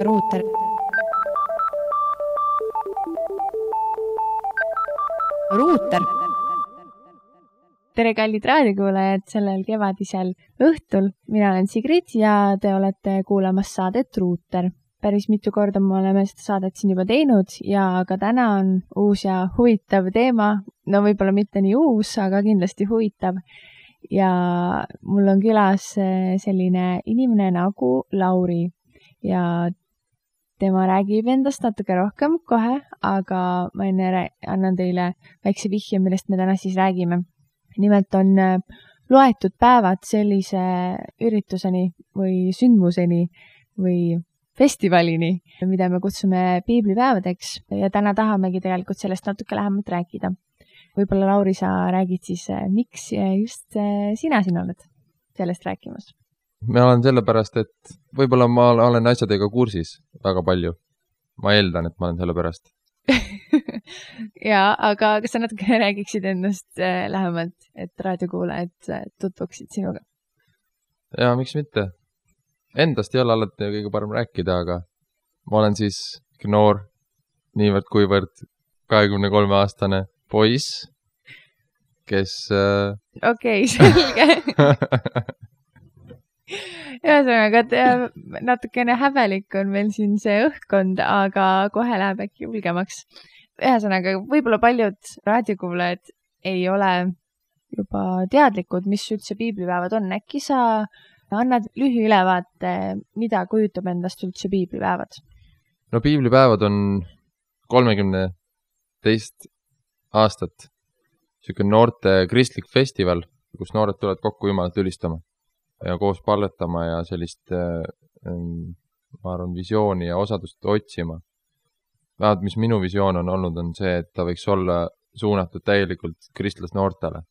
ruuter. Ruuter. Tere kallid raadiokuulajad sellel kevadisel õhtul. Mina olen Sigrid ja te olete kuulamas saadet Ruuter. Päris mitu korda me oleme seda saadet siin juba teinud ja ka täna on uus ja huvitav teema. No võib-olla mitte nii uus, aga kindlasti huvitav. Ja mul on külas selline inimene nagu Lauri ja tema räägib endast natuke rohkem kohe, aga ma enne annan teile väikse vihje, millest me täna siis räägime. Nimelt on loetud päevad sellise ürituseni või sündmuseni või festivalini, mida me kutsume piiblipäevadeks ja täna tahamegi tegelikult sellest natuke lähemalt rääkida. Võib-olla Lauri, sa räägid siis, miks just sina siin oled sellest rääkimas? Ma olen sellepärast, et võib-olla ma olen asjadega kursis väga palju. Ma eeldan, et ma olen sellepärast. Jaa, aga kas sa natuke räägiksid endast lähemalt, et raadiokuulajad tutvuksid sinuga? Jaa, miks mitte? Endast ei ole alati kõige parem rääkida, aga ma olen siis noor, niivõrd kuivõrd 23-aastane poiss, kes... Okei, selge. Ühesõnaga, natukene häbelik on meil siin see õhkkond, aga kohe läheb äkki julgemaks. Ühesõnaga, võib-olla paljud raadiokuulajad ei ole juba teadlikud, mis üldse piiblipäevad on. Äkki sa annad lühiülevaate, mida kujutab endast üldse piiblipäevad? No piiblipäevad on 32 aastat. Selline noorte kristlik festival, kus noored tulevad kokku Jumalat ülistama ja koos palvetama ja sellist, ma arvan, visiooni ja osadust otsima. Vähemalt, mis minu visioon on olnud, on see, et ta võiks olla suunatud täielikult kristlas noortele.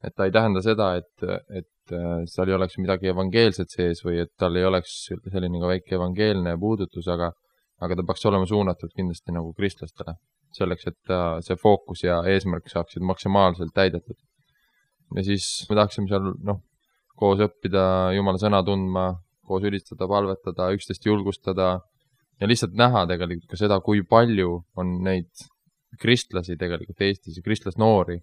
Et ta ei tähenda seda, et seal ei oleks midagi evangeelset sees või et tal ei oleks selline ka väike evangeelne puudutus, aga ta peaks olema suunatud kindlasti nagu kristlastele. Selleks, et see fookus ja eesmärk saaksid maksimaalselt täidetud. Ja siis me tahaksime seal koos õppida Jumala sõna tundma, koos ülistada, palvetada, üksteist julgustada ja lihtsalt näha tegelikult ka seda, kui palju on neid kristlasi tegelikult Eestis ja kristlasnoori,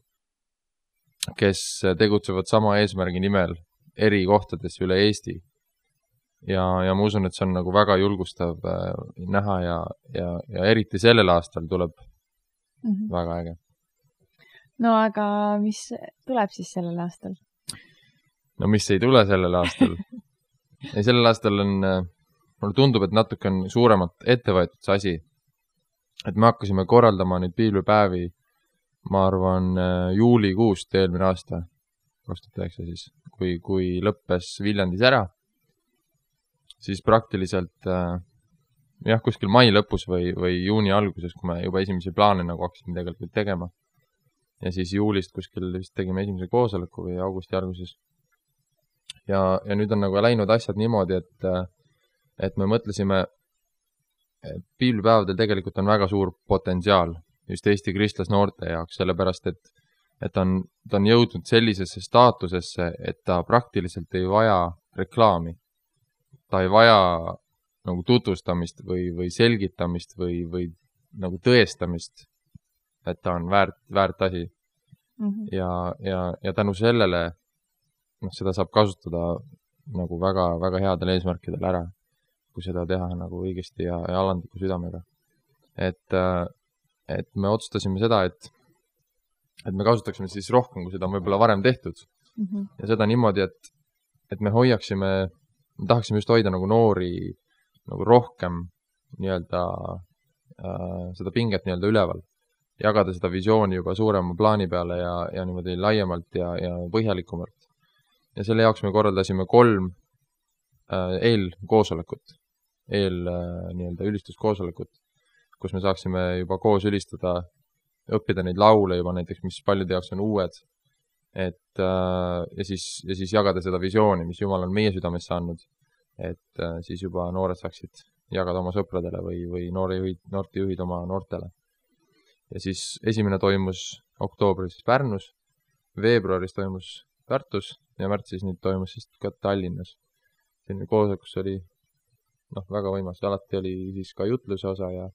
kes tegutsevad sama eesmärgi nimel eri kohtades üle Eesti. Ja ma usun, et see on nagu väga julgustav näha ja eriti sellel aastal tuleb väga äge. No aga mis tuleb siis sellel aastal? No mis ei tule sellel aastal? Ja sellel aastal on, mulle tundub, et natuke on suuremat ettevõetud see asi. Et me hakkasime korraldama nüüd piiblipäevi, ma arvan, juulikuust eelmine aasta, 2009 siis, kui lõppes Viljandis ära, siis praktiliselt kuskil mai lõpus või juuni alguses, kui me juba esimese plaane nagu hakkasime tegelikult tegema. Ja siis juulist kuskil vist tegime esimese koosoleku või augusti alguses. Ja nüüd on nagu läinud asjad niimoodi, et me mõtlesime, et piiblipäevadel tegelikult on väga suur potentsiaal just Eesti kristlasnoorte jaoks, sellepärast, et ta on jõudnud sellisesse staatusesse, et ta praktiliselt ei vaja reklaami. Ta ei vaja nagu tutvustamist või selgitamist või nagu tõestamist, et ta on väärt asi. Ja tänu sellele seda saab kasutada nagu väga, väga headel eesmärkidel ära, kui seda teha nagu õigesti ja alandliku südamega. Et me otsustasime seda, et me kasutaksime siis rohkem, kui seda on võib-olla varem tehtud. Ja seda niimoodi, et me tahaksime just hoida nagu noori nagu rohkem nii-öelda seda pinget nii-öelda üleval. Jagada seda visiooni juba suurema plaani peale ja niimoodi laiemalt ja põhjalikumalt. Ja selle jaoks me korraldasime 3 eelkoosolekut, nii-öelda ülistuskoosolekut, kus me saaksime juba koos ülistada, õppida neid laule juba näiteks, mis paljude jaoks on uued, ja siis jagada seda visiooni, mis Jumal on meie südamesse andnud, et siis juba noored saaksid jagada oma sõpradele või noortejuhid oma noortele. Ja siis esimene toimus oktoobris Pärnus, veebruaris toimus Tartus ja märtsis nüüd toimus siis ka Tallinnas. Selline koosolek, kus oli väga võimas, alati oli siis ka jutluse osa ja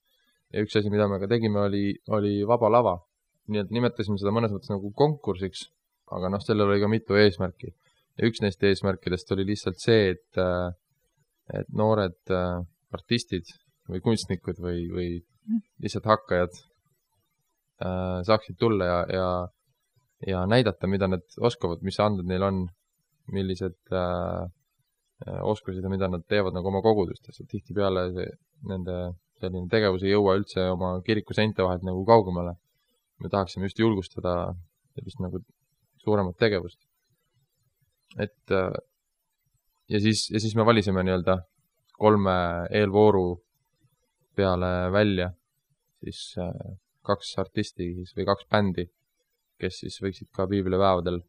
üks asi, mida me ka tegime, oli vaba lava. Nii et nimetasime seda mõnes mõttes nagu konkursiks, aga sellel oli ka mitu eesmärki. Ja üks neist eesmärkidest oli lihtsalt see, et noored artistid või kunstnikud või lihtsalt hakkajad saaksid tulla ja näidata, mida nad oskavad, mis andmed neil on, millised oskused ja mida nad teevad nagu oma kogudustes. Tihtipeale nende selline tegevus ei jõua üldse oma kiriku seinte vahelt nagu kaugemale. Me tahaksime just julgustada sellist nagu suuremat tegevust. Ja siis me valisime 3 eelvooru peale välja siis 2 artisti või 2 bändi, kes siis võiksid ka piiblipäevadel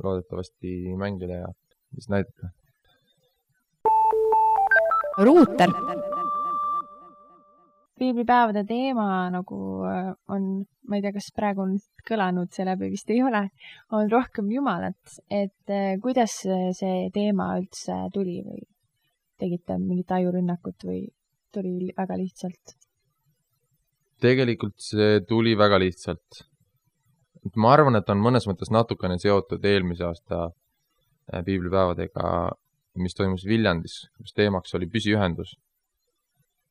loodetavasti mängida ja siis näidata. Ruuter. Piiblipäevade teema nagu on, ma ei tea, kas praegu on kõlanud, see läbi vist ei ole, on rohkem Jumalat, et kuidas see teema üldse tuli või tegite mingit ajurünnakut või tuli väga lihtsalt? Tegelikult see tuli väga lihtsalt. Ma arvan, et on mõnes mõttes natukene seotud eelmise aasta piiblipäevadega, mis toimus Viljandis, kus teemaks oli püsiühendus.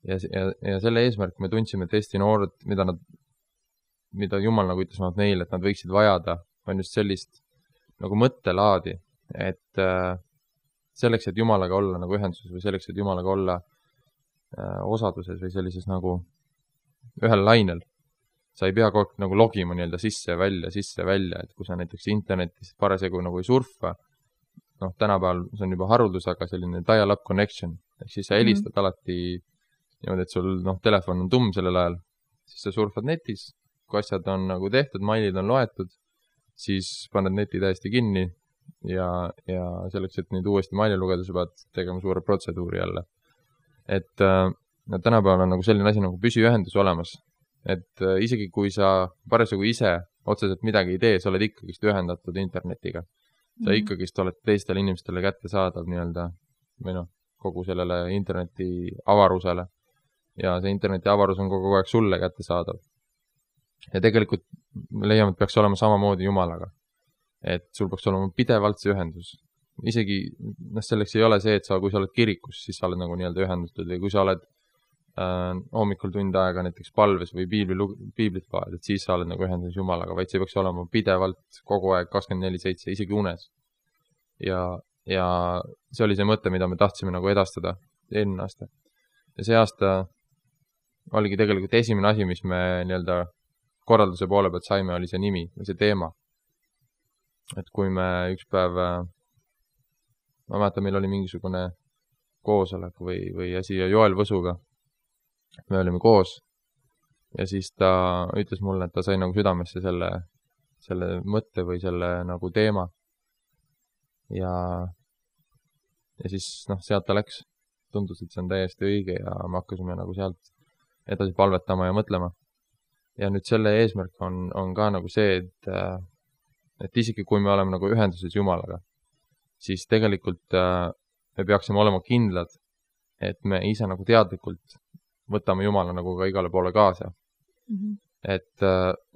Ja selle eesmärk me tundsime, et Eesti noored, mida Jumal nagu ütles neile, et nad võiksid vajada, on just sellist nagu mõttelaadi, et selleks, et Jumalaga olla nagu ühenduses või selleks, et Jumalaga olla osaduses või sellises nagu ühel lainel, sa ei pea kogu aeg nagu logima sisse ja välja, et kui sa näiteks internetis parasjagu nagu ei surfa, tänapäeval see on juba haruldus, aga selline dial-up connection, ehk siis sa helistad alati niimoodi, et sul telefon on tumm sellel ajal, siis sa surfad netis, kui asjad on nagu tehtud, mailid on loetud, siis paned neti täiesti kinni ja selleks, et nüüd uuesti maili lugeda, sa pead tegema suure protseduuri jälle. Et tänapäeval on nagu selline asi nagu püsiühendus olemas, et isegi kui sa parasjagu ise otseselt midagi ei tee, sa oled ikkagist ühendatud internetiga. Sa ikkagist oled teistele inimestele kättesaadav või kogu sellele interneti avarusele. Ja see interneti avarus on kogu aeg sulle kättesaadav. Ja tegelikult me leiame, et peaks olema samamoodi Jumalaga. Et sul peaks olema pidevalt see ühendus. Isegi selleks ei ole see, et kui sa oled kirikus, siis sa oled nagu ühendatud või kui sa oled hommikul tund aega näiteks palves või piiblit loed, et siis sa oled nagu ühenduses Jumalaga, vaid see peaks olema pidevalt kogu aeg 24/7, isegi unes. Ja see oli see mõte, mida me tahtsime nagu edastada eelmine aasta. Ja see aasta oligi tegelikult esimene asi, mis me korralduse poole pealt saime, oli see nimi või see teema. Et kui me üks päev, ma mäletan, meil oli mingisugune koosolek või asi Joel Võsuga, me olime koos ja siis ta ütles mulle, et ta sai nagu südamesse selle mõtte või selle nagu teema ja siis sealt ta läks. Tundus, et see on täiesti õige ja me hakkasime nagu sealt edasi palvetama ja mõtlema. Ja nüüd selle eesmärk on ka nagu see, et isegi kui me oleme nagu ühenduses Jumalaga, siis tegelikult me peaksime olema kindlad, et me ise nagu teadlikult võtame Jumala nagu ka igale poole kaasa. Et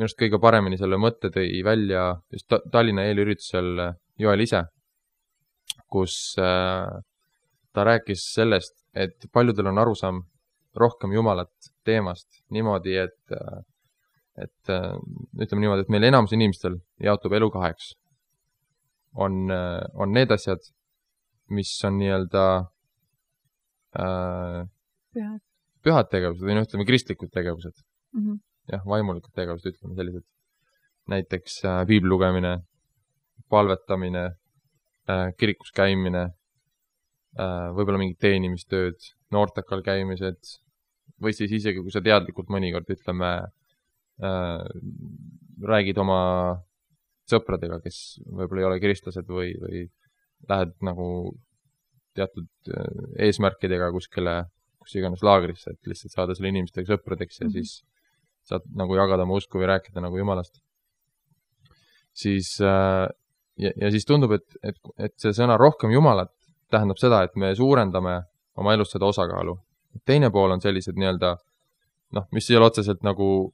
minust kõige paremini selle mõtte tõi välja just Tallinna eelüritusel Joel ise, kus ta rääkis sellest, et paljudel on arusaam rohkem Jumalat teemast niimoodi, et ütleme niimoodi, et meil enamus inimestel jaotub elu 2. On need asjad, mis on pühad tegevused või ütleme kristlikud tegevused. Jah, vaimulikud tegevused, ütleme sellised. Näiteks piibli lugemine, palvetamine, kirikus käimine, võib-olla mingid teenimistööd, noortekal käimised, või siis isegi, kui sa teadlikult mõnikord, ütleme, räägid oma sõpradega, kes võib-olla ei ole kristlased või lähed nagu teatud eesmärkidega kuskile, kus iganes laagrisse, et lihtsalt saada selle inimestega sõpradeks ja siis saad nagu jagada oma usku või rääkida nagu Jumalast. Siis, ja siis tundub, et see sõna rohkem Jumalat tähendab seda, et me suurendame oma elus seda osakaalu. Teine pool on sellised nii-öelda, noh, mis ei ole otseselt nagu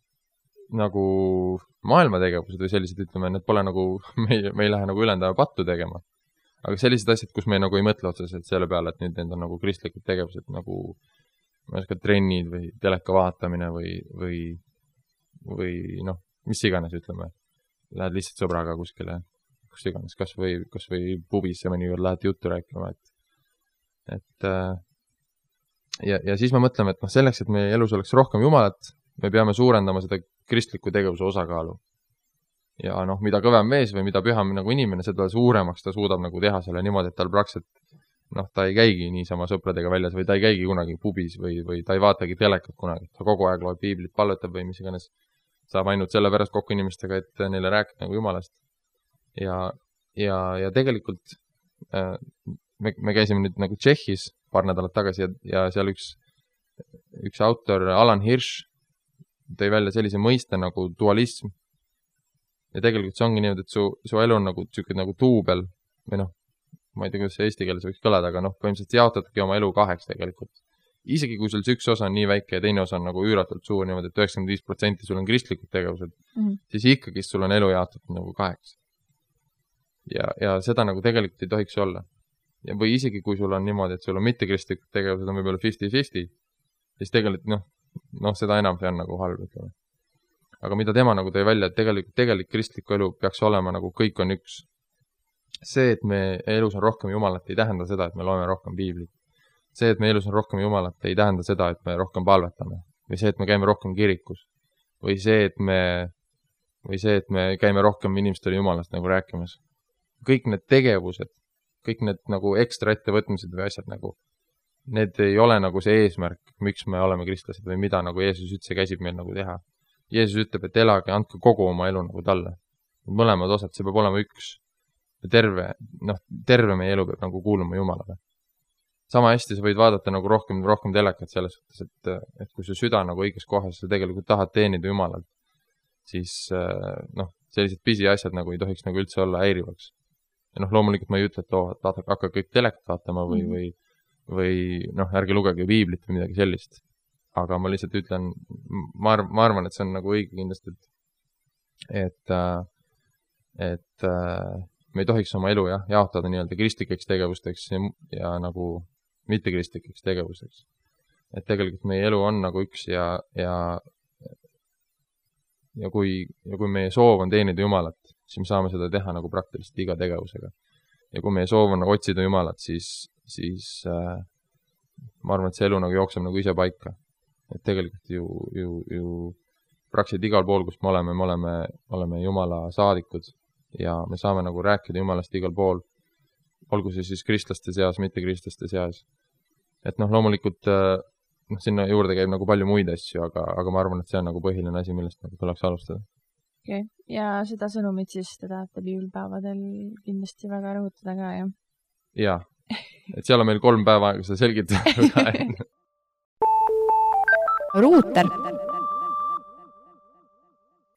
maailmategevused või sellised, ütleme, need pole nagu, me ei lähe nagu ülendava pattu tegema. Aga sellised asjad, kus me nagu ei mõtle otseselt selle peale, et nüüd need on nagu kristlikud tegevused, nagu ma ei oska, trennid või teleka vaatamine või noh, mis iganes, ütleme. Lähed lihtsalt sõbraga kuskile, kus iganes, kas või pubisse mõnikord lähed juttu rääkima, ja siis me mõtleme, et noh, selleks, et meie elus oleks rohkem Jumalat, me peame suurendama seda kristliku tegevuse osakaalu. Ja noh, mida kõvem mees või mida püham nagu inimene, seda suuremaks ta suudab nagu teha selle niimoodi, et tal praktiliselt, noh, ta ei käigi niisama sõpradega väljas või ta ei käigi kunagi pubis või ta ei vaatagi telekat kunagi. Ta kogu aeg loeb piiblit, palvetab või mis iganes, saab ainult selle pärast kokku inimestega, et neile rääkida nagu Jumalast. Ja tegelikult me käisime nüüd nagu Tšehhis paar nädalat tagasi ja seal üks autor, Alan Hirsch, tõi välja sellise mõiste nagu dualism. Ja tegelikult see ongi niimoodi, et su elu on nagu duubel või noh, ma ei tea, kuidas see eesti keeles võiks kõlada, aga noh, põhimõtteliselt jaotadki oma elu 2 tegelikult. Isegi kui sul see üks osa on nii väike ja teine osa on nagu üüratult suur, niimoodi, et 95% sul on kristlikud tegevused, siis ikkagi sul on elu jaotatud nagu 2. Ja seda nagu tegelikult ei tohiks olla. Ja või isegi kui sul on niimoodi, et sul on mittekristlikud tegevused on võib-olla 50-50, siis tegelikult noh, seda enam see on nagu halb, ütleme. Aga mida tema nagu tõi välja, et tegelikult kristliku elu peaks olema nagu kõik on üks. See, et me elus on rohkem Jumalat, ei tähenda seda, et me loeme rohkem piiblit. See, et me elus on rohkem Jumalat, ei tähenda seda, et me rohkem palvetame. Või see, et me käime rohkem kirikus. Või see, et me käime rohkem inimestele Jumalast nagu rääkimas. Kõik need tegevused, kõik need nagu ekstra ettevõtmised või asjad nagu, need ei ole nagu see eesmärk, miks me oleme kristlased või mida nagu Jeesus üldse käsib meil nagu teha. Jeesus ütleb, et elage, andke kogu oma elu nagu talle. Mõlemad osad, see peab olema üks. Terve meie elu peab nagu kuuluma Jumalale. Sama hästi sa võid vaadata nagu rohkem telekat selles suhtes, et kui su süda nagu õiges kohas, sa tegelikult tahad teenida Jumalalt, siis sellised pisiasjad nagu ei tohiks nagu üldse olla häirivaks. Ja loomulikult ma ei ütle, et hakka kõik telekat vaatama või ärge lugege piiblit või midagi sellist. Aga ma lihtsalt ütlen, ma arvan, et see on nagu õige kindlasti, et me ei tohiks oma elu jaotada nii-öelda kristlikeks tegevusteks ja nagu mittekristlikeks tegevusteks. Et tegelikult meie elu on nagu üks ja kui meie soov on teenida Jumalat, siis me saame seda teha nagu praktiliselt iga tegevusega. Ja kui meie soov on nagu otsida Jumalat, siis ma arvan, et see elu nagu jookseb nagu ise paika. Et tegelikult ju praktiliselt igal pool, kus me oleme Jumala saadikud ja me saame nagu rääkida Jumalast igal pool, olgu see siis kristlaste seas, mitte kristlaste seas. Et loomulikult sinna juurde käib nagu palju muid asju, aga ma arvan, et see on nagu põhiline asi, millest nagu tuleks alustada. Okay. Ja seda sõnumit siis te tahate piibelpäevadel kindlasti väga rõhutada ka, jah? Jaa, et seal on meil 3 päeva aega seda selgitada. Ruuter.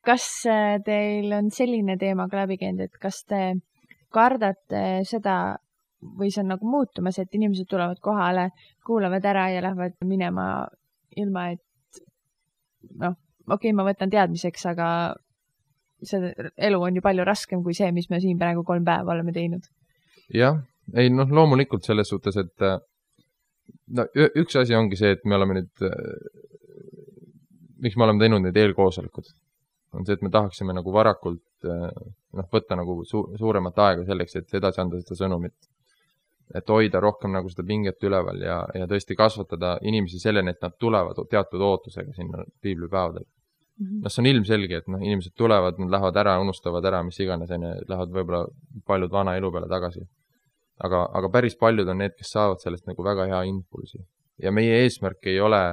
Kas teil on selline teema ka läbi käinud, et kas te kardate seda või see on nagu muutumas, et inimesed tulevad kohale, kuulavad ära ja lähevad minema ilma, et ma võtan teadmiseks, aga see elu on ju palju raskem kui see, mis me siin praegu 3 päeva oleme teinud. Jah, ei loomulikult selles suhtes, et üks asi ongi see, et me oleme nüüd, miks me oleme teinud need eelkoosolekud, on see, et me tahaksime nagu varakult võtta nagu suuremat aega selleks, et edasi anda seda sõnumit. Et hoida rohkem nagu seda pinget üleval ja tõesti kasvatada inimesi selleni, et nad tulevad teatud ootusega sinna piiblipäevadel. See on ilmselge, et inimesed tulevad, nad lähevad ära, unustavad ära, mis iganes, lähevad võib-olla paljud vana elu peale tagasi. Aga päris paljud on need, kes saavad sellest nagu väga hea impulsi. Ja meie eesmärk ei ole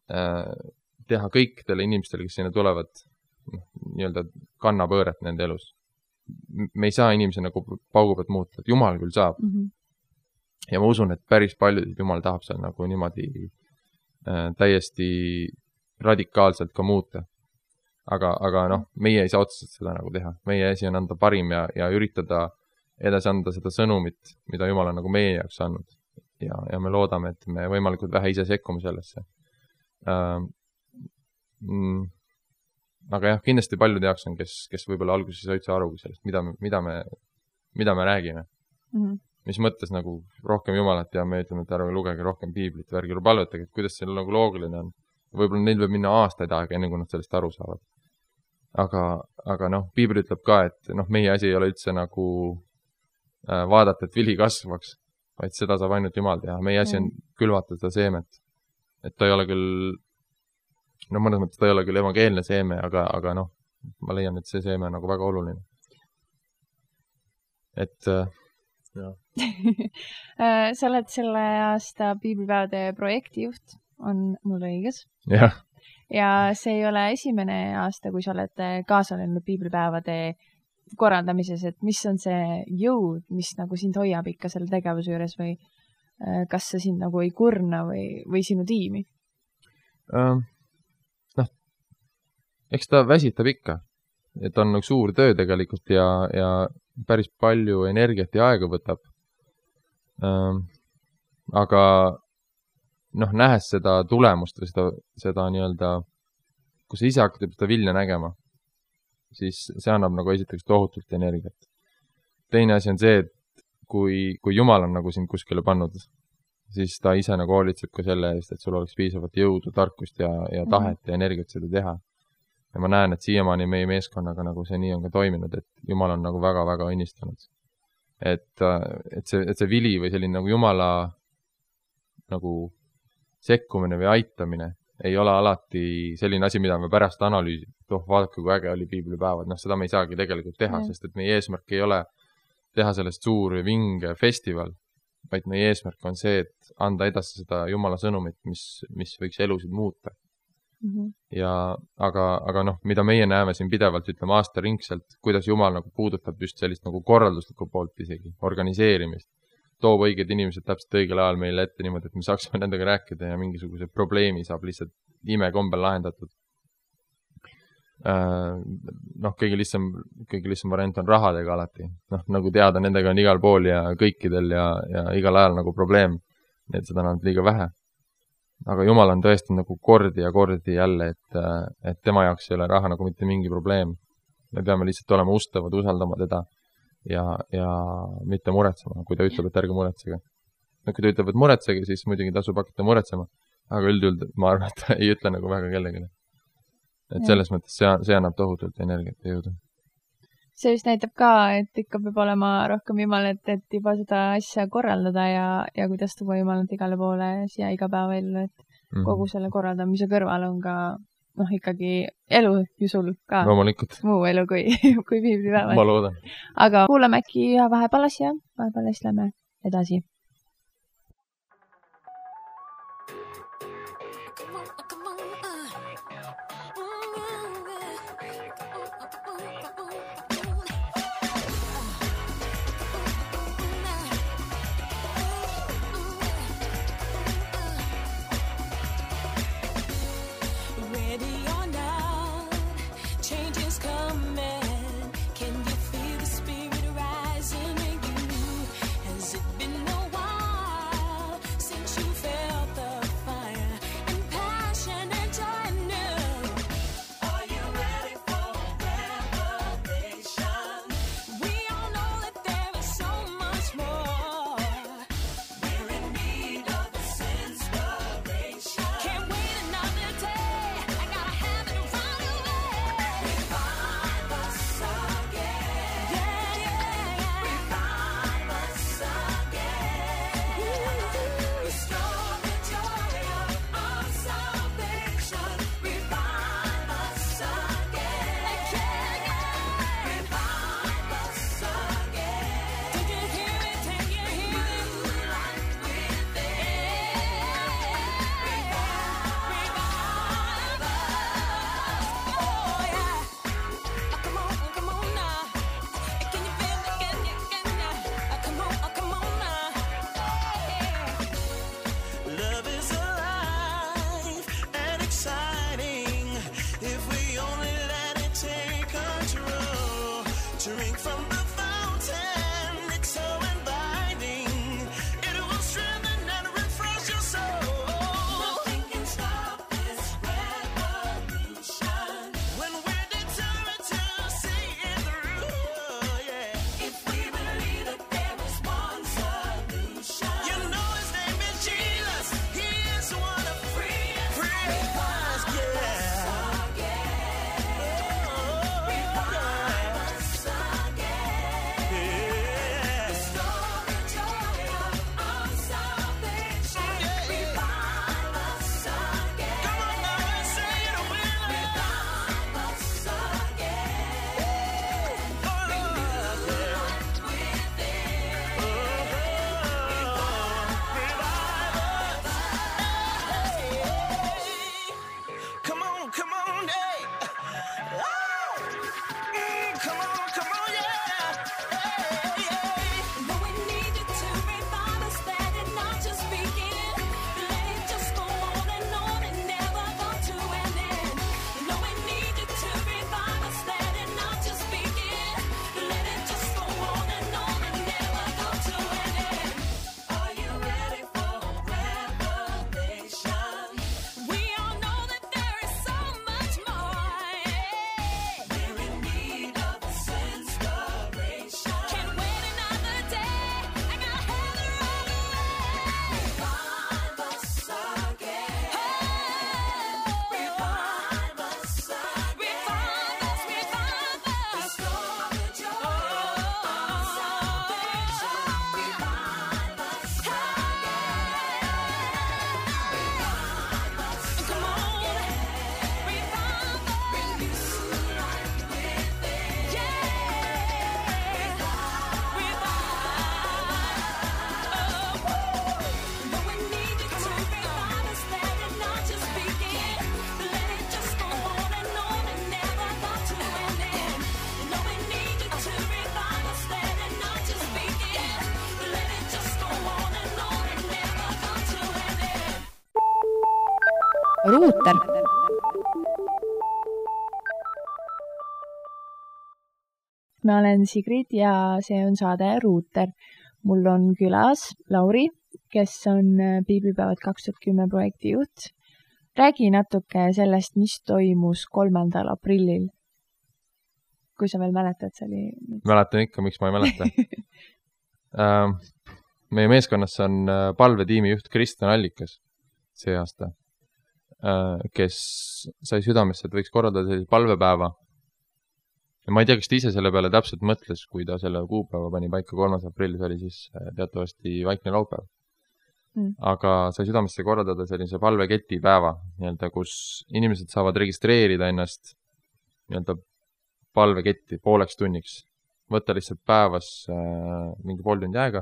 teha kõikidele inimestele, kes sinna tulevad, nii-öelda kannapööret nende elus. Me ei saa inimese nagu paugu pealt muuta, et Jumal küll saab. Ja ma usun, et päris paljud Jumal tahab seal nagu niimoodi täiesti radikaalselt ka muuta. Aga meie ei saa otseselt seda nagu teha. Meie asi on anda parim ja üritada edasi anda seda sõnumit, mida Jumal on nagu meie jaoks andnud. ja me loodame, et me võimalikult vähe ise sekkume sellesse. Aga jah, kindlasti paljud jaoks on, kes võib-olla alguses ei üldse aru sellest, mida me räägime. Mis mõttes nagu rohkem Jumalat ja me ütleme, et ärge lugege rohkem piiblit või ärge palvetage, et kuidas see nagu loogiline on. Võib-olla neil võib minna aastaid aega, enne kui nad sellest aru saavad. Aga piibel ütleb ka, et meie asi ei ole üldse nagu vaadata, et vili kasvaks, vaid seda saab ainult Jumal teha. Meie asi on külvata seda seemet. Et ta ei ole küll, mõnes mõttes ta ei ole küll evangeelne seeme, aga ma leian, et see seeme on nagu väga oluline. Et sa oled selle aasta piiblipäevade projektijuht, on mul õiges? Jah. Ja see ei ole esimene aasta, kui sa oled kaasa läinud piiblipäevade korraldamises, et mis on see jõud, mis nagu sind hoiab ikka selle tegevuse juures või kas see sind nagu ei kurna või sinu tiimi? Eks ta väsitab ikka, et on nagu suur töö tegelikult ja päris palju energiat ja aega võtab. Aga nähes seda tulemust või seda nii-öelda, kui sa ise hakkad seda vilja nägema, siis see annab nagu esiteks tohutult energiat. Teine asi on see, et kui Jumal on nagu sind kuskile pannud, siis ta ise nagu hoolitseb ka selle eest, et sul oleks piisavalt jõudu, tarkust ja tahet ja energiat seda teha. Ja ma näen, et siiamaani meie meeskonnaga nagu see nii on ka toiminud, et Jumal on nagu väga-väga õnnistanud. Et see vili või selline nagu Jumala nagu sekkumine või aitamine ei ole alati selline asi, mida me pärast analüüsime. Vaadake, kui äge oli piiblipäevad. Seda me ei saagi tegelikult teha, sest et meie eesmärk ei ole teha sellest suur või vinge festival, vaid meie eesmärk on see, et anda edasi seda Jumala sõnumit, mis võiks elusid muuta. Aga mida meie näeme siin pidevalt, ütleme aastaringselt, kuidas Jumal nagu puudutab just sellist nagu korralduslikku poolt isegi, organiseerimist, toob õiged inimesed täpselt õigel ajal meile ette niimoodi, et me saaksime nendega rääkida ja mingisuguse probleemi saab lihtsalt imekombel lahendatud. Kõige lihtsam variant on rahadega alati. Nagu teada, nendega on igal pool ja kõikidel ja igal ajal nagu probleem, et seda on liiga vähe. Aga Jumal on tõesti nagu kordi jälle, et tema jaoks ei ole raha nagu mitte mingi probleem. Me peame lihtsalt olema ustavad, usaldama teda ja mitte muretsema, kui ta ütleb, et ärge muretsege. Kui ta ütleb, et muretsege, siis muidugi tasub hakata muretsema, aga üldjuhul ma arvan, et ta ei ütle nagu väga kellegile. Et selles mõttes see annab tohutult energiat ja jõudu. See just näitab ka, et ikka peab olema rohkem Jumal, et juba seda asja korraldada ja kuidas tuua Jumalat igale poole siia iga päeva ellu, et kogu selle korraldamise kõrval on ka ikkagi elu ju sul ka. Loomulikult. Muu elu kui piiblipäevad. Ma loodan. Aga kuulame äkki vahepeal asja, vahepeal lähme edasi. From the fountain, it's so inviting. It will strengthen Ruuter. Ma olen Sigrid ja see on saade Ruuter. Mul on külas Lauri, kes on Piiblipäevad 2010 projekti juht. Räägi natuke sellest, mis toimus 3. aprillil. Kui sa veel mäletad, see oli... Mäletan ikka, miks ma ei mäleta. Meie meeskonnas on palvetiimi juht Kristjan Allikas see aasta, kes sai südamesse, et võiks korraldada sellise palvepäeva. Ja ma ei tea, kas ta ise selle peale täpselt mõtles, kui ta selle kuupäeva pani paika 3. aprillis, oli siis teatavasti vaikne laupäev. Aga sai südamesse korraldada sellise palveketi päeva, kus inimesed saavad registreerida ennast palveketti pooleks tunniks. Võtta lihtsalt päevas mingi pool tundi aega,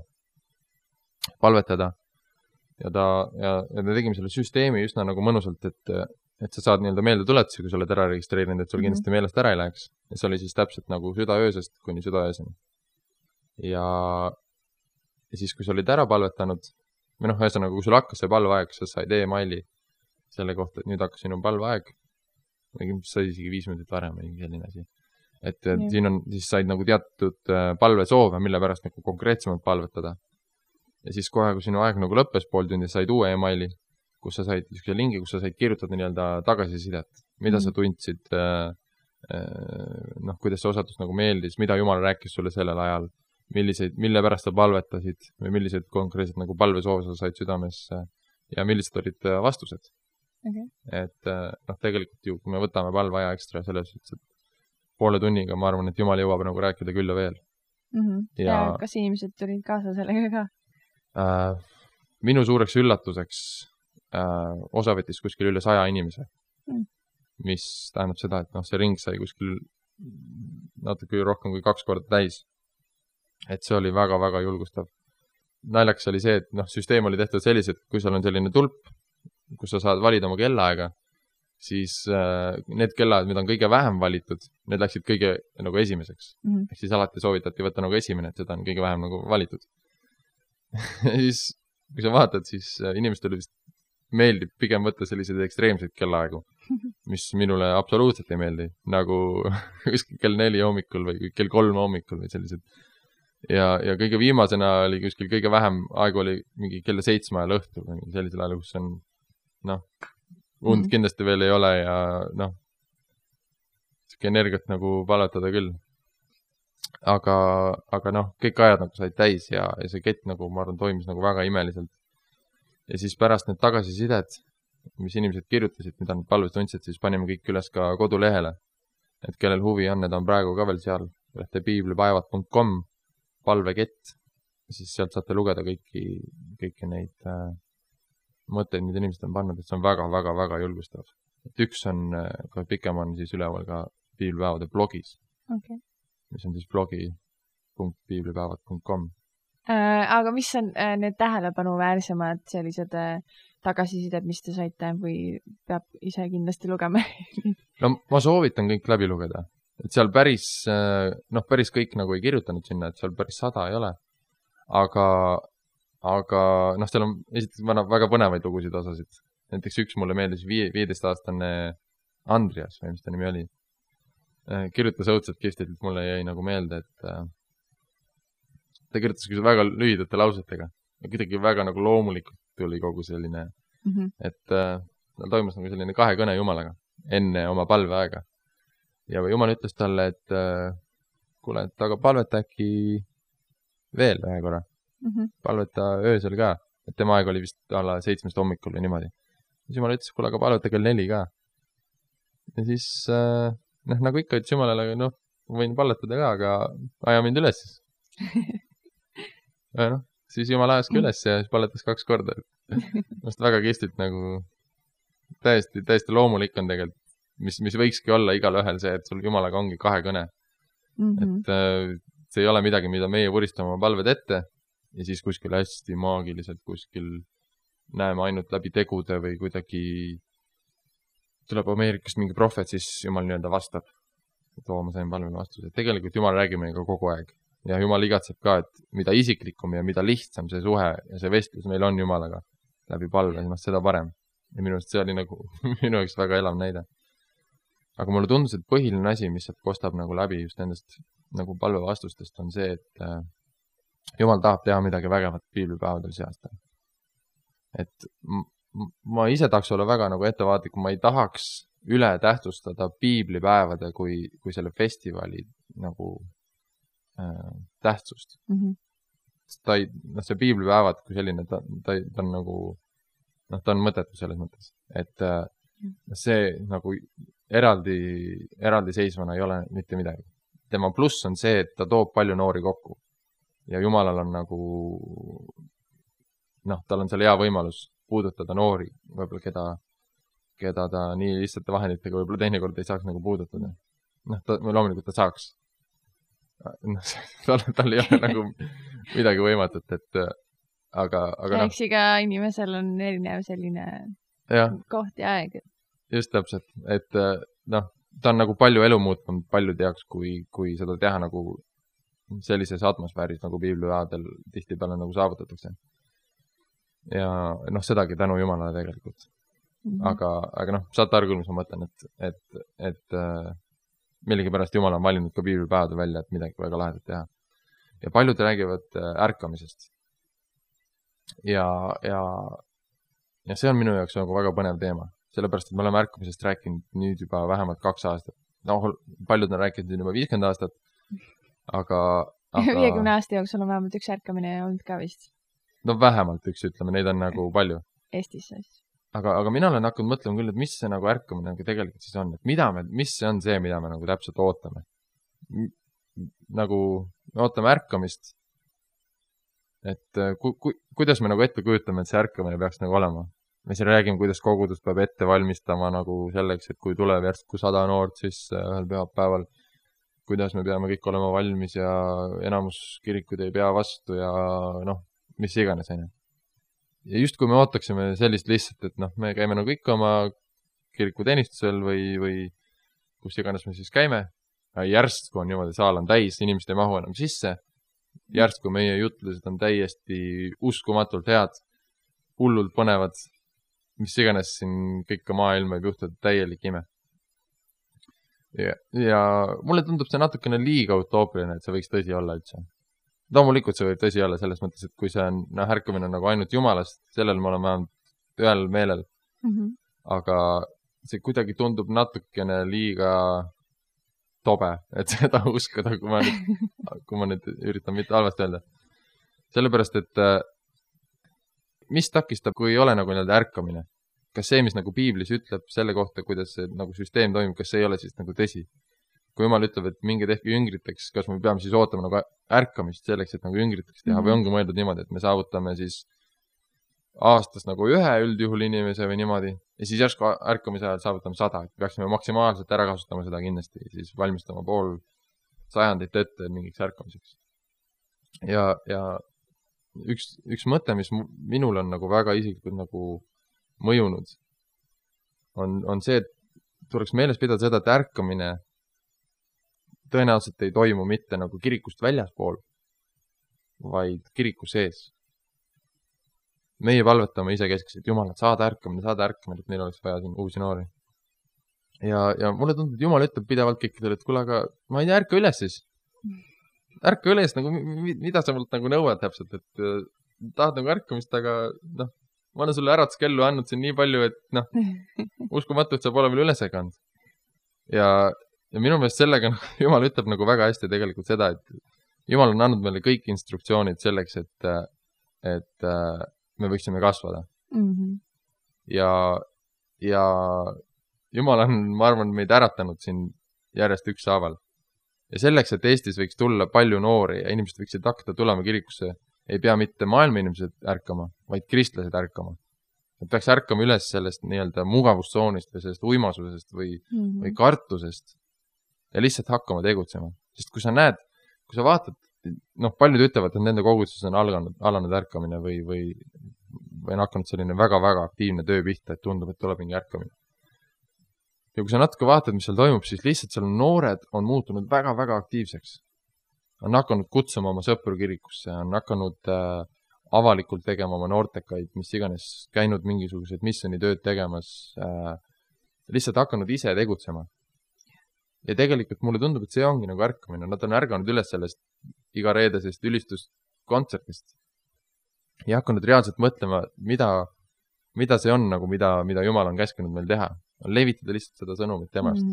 palvetada. Ja me tegime selle süsteemi üsna nagu mõnusalt, et sa saad meelde tuletusi, kui sa oled ära registreerinud, et sul kindlasti meelest ära ei läheks. Ja see oli siis täpselt nagu südaöösest kuni südaööseni. Ja siis, kui sa olid ära palvetanud, või ühesõnaga, kui sul hakkas see palveaeg, sa said e-maili selle kohta, et nüüd hakkas sinu palveaeg. Sai isegi 5 minutit varem või selline asi. Et siin on, siis said nagu teatud palvesoove, mille pärast nagu konkreetsemalt palvetada. Ja siis kohe, kui sinu aeg nagu lõppes pool tundi, said uue e-maili, kus sa said lingi, kus sa said kirjutada tagasisidet, mida sa tundsid, kuidas see osatus nagu meeldis, mida Jumal rääkis sulle sellel ajal, mille pärast sa palvetasid või millised konkreetselt nagu palvesoove sa said südamesse ja millised olid vastused. Okay. Et tegelikult ju, kui me võtame palveaja ekstra selles, et poole tunniga, ma arvan, et Jumal jõuab nagu rääkida küll ja veel. Ja kas inimesed tulid kaasa sellega ka? Minu suureks üllatuseks osa võttis kuskil üle 100 inimese, mis tähendab seda, et see ring sai kuskil natuke rohkem kui 2 korda täis. Et see oli väga-väga julgustav. Naljaks oli see, et süsteem oli tehtud sellised, kui seal on selline tulp, kus sa saad valida oma kellaaega, siis need kellaajad, mida on kõige vähem valitud, need läksid kõige nagu esimeseks. Ehk siis alati soovitati võtta nagu esimene, et seda on kõige vähem nagu valitud. Ja siis, kui sa vaatad, siis inimestele vist meeldib pigem võtta selliseid ekstreemseid kellaaegu, mis minule absoluutselt ei meeldi, nagu kell 4 hommikul või kell 3 hommikul või sellised. Ja kõige viimasena oli kuskil kõige vähem aegu oli mingi kell 7 ajal õhtul või sellisel ajal, kus on und kindlasti veel ei ole ja siuke energiat nagu palvetada küll. Aga kõik ajad nagu said täis ja see kett nagu, ma arvan, toimis nagu väga imeliselt. Ja siis pärast need tagasisidet, mis inimesed kirjutasid, mida nad palvest tundsid, siis panime kõik üles ka kodulehele. Et kellel huvi on, need on praegu ka veel seal, piiblipäevad.com, palvekett. Ja siis sealt saate lugeda kõiki neid mõtteid, mida inimesed on pannud, et see on väga-väga-väga julgustav. Et üks on, ka pikem on siis üleval ka piiblipäevade blogis. Okay. Mis on siis blogi.piiblipäevad.com. Aga mis on need tähelepanuväärsemad sellised tagasisided, mis te saite või peab ise kindlasti lugema? No ma soovitan kõik läbi lugeda. Et seal päris kõik nagu ei kirjutanud sinna, et seal päris 100 ei ole. Aga seal on esiteks väga põnevaid lugusid osasid. Näiteks üks mulle meeldis 15-aastane Andrias, või mis ta nimi oli. Kirjutas õudselt kihvtilt, mulle jäi nagu meelde, et ta kirjutas väga lühidate lausetega. Kuidagi väga nagu loomulikult tuli kogu selline, et toimus nagu selline 2 kõne Jumalaga enne oma palveaega. Ja Jumal ütles talle, et kuule, et aga palveta äkki veel ühe korra. Palveta öösel ka, et tema aeg oli vist alla 7 hommikul või niimoodi. Siis Jumal ütles, kuule, aga palveta kell 4 ka. Ja siis nagu ikka ütles Jumalale, võin palletada ka, aga aja mind üles siis. Ja siis Jumal ajas ka üles ja siis palletas 2 korda. Must väga kihvtilt nagu täiesti loomulik on tegelikult, mis võikski olla igal ühel see, et sul Jumalaga ongi 2 kõne. Et see ei ole midagi, mida meie vuristame oma palved ette ja siis kuskil hästi maagiliselt kuskil näeme ainult läbi tegude või kuidagi tuleb Ameerikast mingi prohvet, siis Jumal vastab. Ma sain palvele vastuse. Tegelikult Jumal räägib meiega kogu aeg. Ja Jumal igatseb ka, et mida isiklikum ja mida lihtsam see suhe ja see vestlus meil on Jumalaga läbi palve, seda parem. ja minu arust see oli nagu minu jaoks väga elav näide. Aga mulle tundus, et põhiline asi, mis sealt kostab nagu läbi just nendest nagu palvevastustest, on see, et Jumal tahab teha midagi vägevat piiblipäevadel see aasta. Et ma ise tahaks olla väga nagu ettevaatlik, ma ei tahaks üle tähtsustada piiblipäevade kui selle festivali nagu tähtsust. See piiblipäevad kui selline, ta on nagu, ta on mõttetu selles mõttes, et see nagu eraldi seisvana ei ole mitte midagi. Tema pluss on see, et ta toob palju noori kokku ja Jumalal on nagu, tal on seal hea võimalus puudutada noori, võib-olla keda ta nii lihtsate vahenditega võib-olla teinekord ei saaks nagu puudutada. Loomulikult ta saaks. Tal ei ole nagu midagi võimatut, et aga eks iga inimesel on erinev selline koht ja aeg. Just täpselt, et ta on nagu palju elu muutnud paljude jaoks, kui seda teha nagu sellises atmosfääris nagu piiblipäevadel tihtipeale nagu saavutatakse. Ja sedagi tänu Jumalale tegelikult. Aga saate aru küll, mis ma mõtlen, et millegipärast Jumal on valinud ka piiblipäevadel välja, et midagi väga lahedat teha. Ja paljud räägivad ärkamisest. Ja see on minu jaoks nagu väga põnev teema. Sellepärast, et me oleme ärkamisest rääkinud nüüd juba vähemalt 2 aastat. Paljud on rääkinud juba 50 aastat, aga 50 aasta jooksul on vähemalt üks ärkamine olnud ka vist. Vähemalt üks, ütleme, neid on nagu palju. Eestis siis. Aga mina olen hakanud mõtlema küll, et mis see nagu ärkamine nagu tegelikult siis on, et mis see on see, mida me nagu täpselt ootame. Nagu me ootame ärkamist, et kuidas me nagu ette kujutame, et see ärkamine peaks nagu olema. Me siin räägime, kuidas kogudus peab ette valmistama nagu selleks, et kui tuleb järsku 100 noort, siis ühel pühapäeval, kuidas me peame kõik olema valmis ja enamus kirikud ei pea vastu ja mis iganes. Ja just kui me ootaksime sellist lihtsalt, et me käime nagu ikka oma kirikuteenistusel või kus iganes me siis käime, järsku on niimoodi, saal on täis, inimesed ei mahu enam sisse, järsku meie jutlused on täiesti uskumatult head, hullult põnevad, mis iganes siin kõike maailma võib juhtuda täielik ime. Ja mulle tundub see natukene liiga utoopiline, et see võiks tõsi olla üldse. Loomulikult see võib tõsi olla selles mõttes, et kui see on ärkamine nagu ainult Jumalast, sellel me oleme vähemalt ühel meelel. Aga see kuidagi tundub natukene liiga tobe, et seda uskuda, kui ma nüüd üritan mitte halvasti öelda. Sellepärast, et mis takistab, kui ei ole nagu ärkamine? Kas see, mis nagu piiblis ütleb selle kohta, kuidas see nagu süsteem toimub, kas see ei ole siis nagu tõsi? Kui Jumal ütleb, et minge tehke jüngriteks, kas me peame siis ootama nagu ärkamist selleks, et nagu jüngriteks teha või ongi mõeldud niimoodi, et me saavutame siis aastas nagu ühe üldjuhul inimese või niimoodi ja siis järsku ärkamise ajal saavutame 100, et peaksime maksimaalselt ära kasutama seda kindlasti, siis valmistama pool sajandit ette mingiks ärkamiseks. Ja üks mõte, mis minul on nagu väga isiklikult nagu mõjunud, on see, et tuleks meeles pidada seda, et ärkamine tõenäoliselt ei toimu mitte nagu kirikust väljaspool, vaid kiriku sees. Meie palvetame isekeskselt, Jumal, et saada ärkamine, et neil oleks vaja siin uusi noori. Ja mulle tundub, et Jumal ütleb pidevalt kõikidele, et kuule, aga ma ei tea, ärka üles siis. Ärka üles, nagu, mida sa mult nagu nõuad täpselt, et tahad nagu ärkamist, aga ma olen sulle äratuskellu andnud siin nii palju, et uskumatult saab olema üles kand. Ja minu meelest sellega Jumal ütleb nagu väga hästi tegelikult seda, et Jumal on andnud meile kõik instruktsioonid selleks, et me võiksime kasvada. Ja Jumal on, ma arvan, meid äratanud siin järjest ükshaaval. Ja selleks, et Eestis võiks tulla palju noori ja inimesed võiksid hakata tulema kirikusse, ei pea mitte maailma inimesed ärkama, vaid kristlased ärkama. Et peaks ärkama üles sellest nii-öelda mugavustsoonist või sellest uimasusest või kartusest ja lihtsalt hakkama tegutsema. Sest kui sa näed, kui sa vaatad, paljud ütlevad, et nende koguduses on alanud ärkamine või on hakanud selline väga-väga aktiivne töö pihta, et tundub, et tuleb mingi ärkamine. Ja kui sa natuke vaatad, mis seal toimub, siis lihtsalt seal noored on muutunud väga-väga aktiivseks. On hakanud kutsuma oma sõpru kirikusse, on hakanud avalikult tegema oma noortekaid, mis iganes, käinud mingisugused missionitööd tegemas, lihtsalt hakanud ise tegutsema. Ja tegelikult mulle tundub, et see ongi nagu ärkamine. Nad on ärganud üles sellest iga reedesest ülistuskontsertist ja hakanud reaalselt mõtlema, mida see on, nagu mida Jumal on käskinud meil teha. On levitada lihtsalt seda sõnumit temast,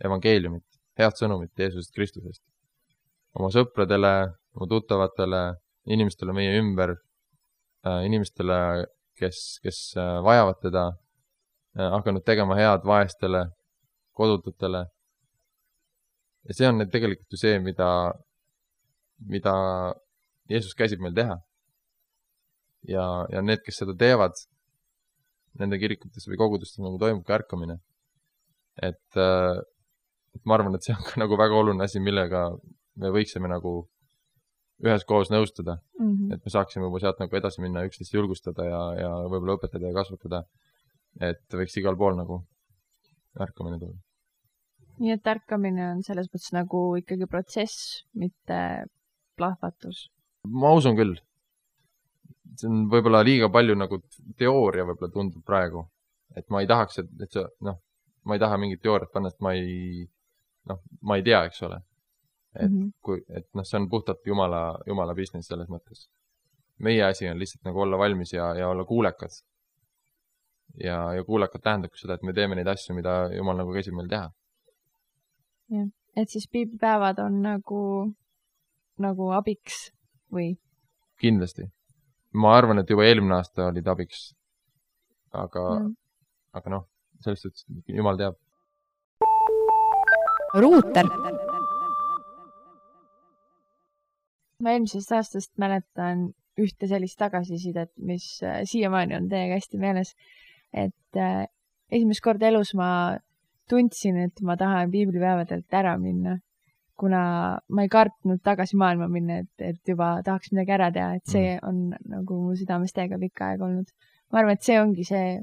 evangeeliumit, head sõnumit Jeesusest Kristusest. Oma sõpradele, oma tuttavatele, inimestele meie ümber, inimestele, kes vajavad teda, hakanud tegema head vaestele, kodututele. Ja see on tegelikult ju see, mida Jeesus käsib meil teha. Ja need, kes seda teevad, nende kirikutes või kogudustes nagu toimub ka ärkamine. Et ma arvan, et see on ka nagu väga oluline asi, millega me võiksime nagu üheskoos nõustada. Et me saaksime juba sealt nagu edasi minna, üksteist julgustada ja võib-olla õpetada ja kasvatada. Et võiks igal pool nagu ärkamine tulla. Nii et ärkamine on selles mõttes nagu ikkagi protsess, mitte plahvatus. Ma usun küll. See on võib-olla liiga palju nagu teooria võib-olla tundub praegu. Et ma ei tahaks, et see, ma ei taha mingit teooriat panna, et ma ei tea, eks ole. Et see on puhtalt Jumala business selles mõttes. Meie asi on lihtsalt nagu olla valmis ja olla kuulekad. Ja kuulekad tähendab seda, et me teeme neid asju, mida Jumal nagu käsib meil teha. Ja. Et siis piiblipäevad on nagu abiks või? Kindlasti. Ma arvan, et juba eelmine aasta olid abiks. Aga sellest, et Jumal teab. Ruuter. Ma eelmisest aastast mäletan ühte sellist tagasisidet, mis siiamaani on teiega hästi meeles. Et esimest korda elus ma tundsin, et ma tahan piiblipäevadelt ära minna, kuna ma ei kartnud tagasi maailma minna, et juba tahaks midagi ära teha, et see on nagu mu südames täiega pikka aega olnud. Ma arvan, et see ongi see,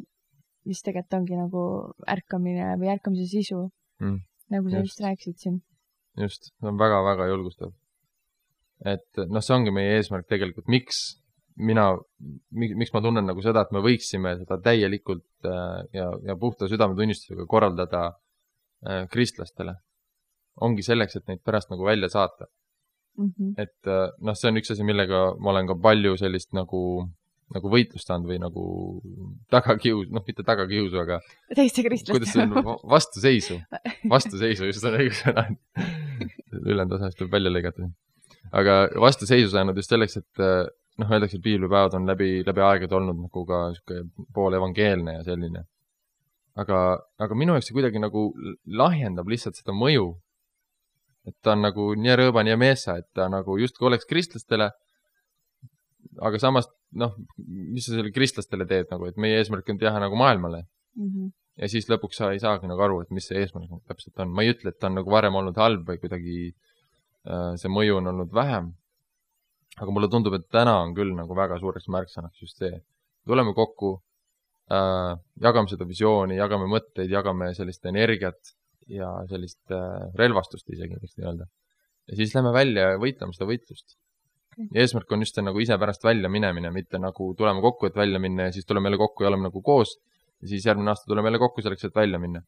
mis tegelikult ongi nagu ärkamine või ärkamise sisu, nagu sa just rääkisid siin. Just, see on väga-väga julgustav. Et see ongi meie eesmärk tegelikult, miks ma tunnen nagu seda, et me võiksime seda täielikult ja puhta südametunnistusega korraldada kristlastele. Ongi selleks, et neid pärast nagu välja saata. Et see on üks asi, millega ma olen ka palju sellist nagu võitlust andnud või nagu mitte tagakiusu, aga teiste kristlaste. Kuidas see on? Vastuseisu, just on õigus sõna. Ülendosast võib välja lõigata. Aga vastuseisu saanud just selleks, et öeldakse, et piiblipäevad on läbi aegade olnud nagu ka pool evangeelne ja selline. Aga minu jaoks see kuidagi nagu lahjendab lihtsalt seda mõju. Et ta on nagu nii rõõban ja meessa, et ta nagu justkui oleks kristlastele, aga samas, mis sa selle kristlastele teed, nagu, et meie eesmärk on teha nagu maailmale. Ja siis lõpuks sa ei saagi nagu aru, et mis see eesmärk täpselt on. Ma ei ütle, et ta on nagu varem olnud halb või kuidagi see mõju on olnud vähem. Aga mulle tundub, et täna on küll nagu väga suureks märksõnaks just see. Tuleme kokku, jagame seda visiooni, jagame mõtteid, jagame sellist energiat ja sellist relvastust isegi, võiks nii öelda. Ja siis lähme välja ja võitleme seda võitlust. Ja eesmärk on just see nagu ise pärast välja minemine, mitte nagu tuleme kokku, et välja minna ja siis tuleme jälle kokku ja oleme nagu koos ja siis järgmine aasta tuleme jälle kokku selleks, et välja minna.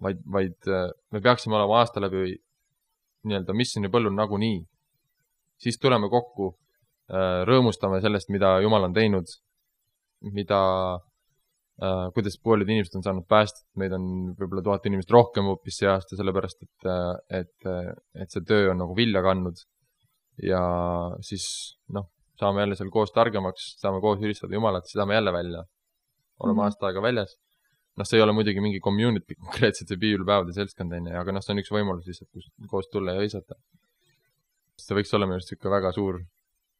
Vaid me peaksime olema aasta läbi nii-öelda missioni põllul nagu nii. Siis tuleme kokku, rõõmustame sellest, mida Jumal on teinud, kuidas paljud inimesed on saanud päästet. Meid on võib-olla 1000 inimest rohkem hoopis see aasta, sellepärast, et see töö on nagu vilja kandnud. Ja siis saame jälle seal koos targemaks, saame koos ülistada Jumalat, siis saame jälle välja. Oleme aasta aega väljas. See ei ole muidugi mingi community konkreetselt see piiblipäevade seltskond, aga see on üks võimalus lihtsalt, kus koos tulla ja õisata. See võiks olla minu arust väga suur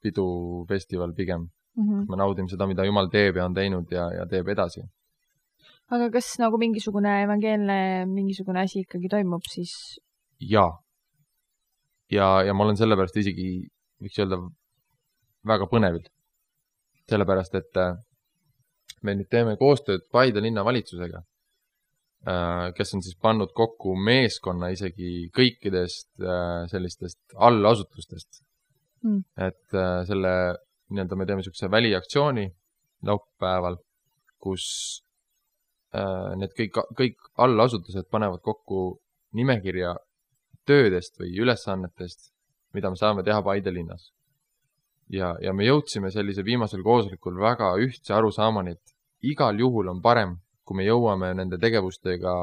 pidufestival pigem. Me naudime seda, mida Jumal teeb ja on teinud ja teeb edasi. Aga kas nagu mingisugune evangeelne mingisugune asi ikkagi toimub siis? Jaa. Ja ma olen sellepärast isegi, võiks öelda, väga põnevil. Sellepärast, et me nüüd teeme koostööd Paide linna valitsusega, kes on siis pannud kokku meeskonna isegi kõikidest sellistest allasutustest. Et selle me teeme niisuguse väliaktsiooni laupäeval, kus need kõik allasutused panevad kokku nimekirja töödest või ülesannetest, mida me saame teha Paide linnas. Ja me jõudsime sellise viimasel koosolekul väga ühtse arusaamani, et igal juhul on parem, kui me jõuame nende tegevustega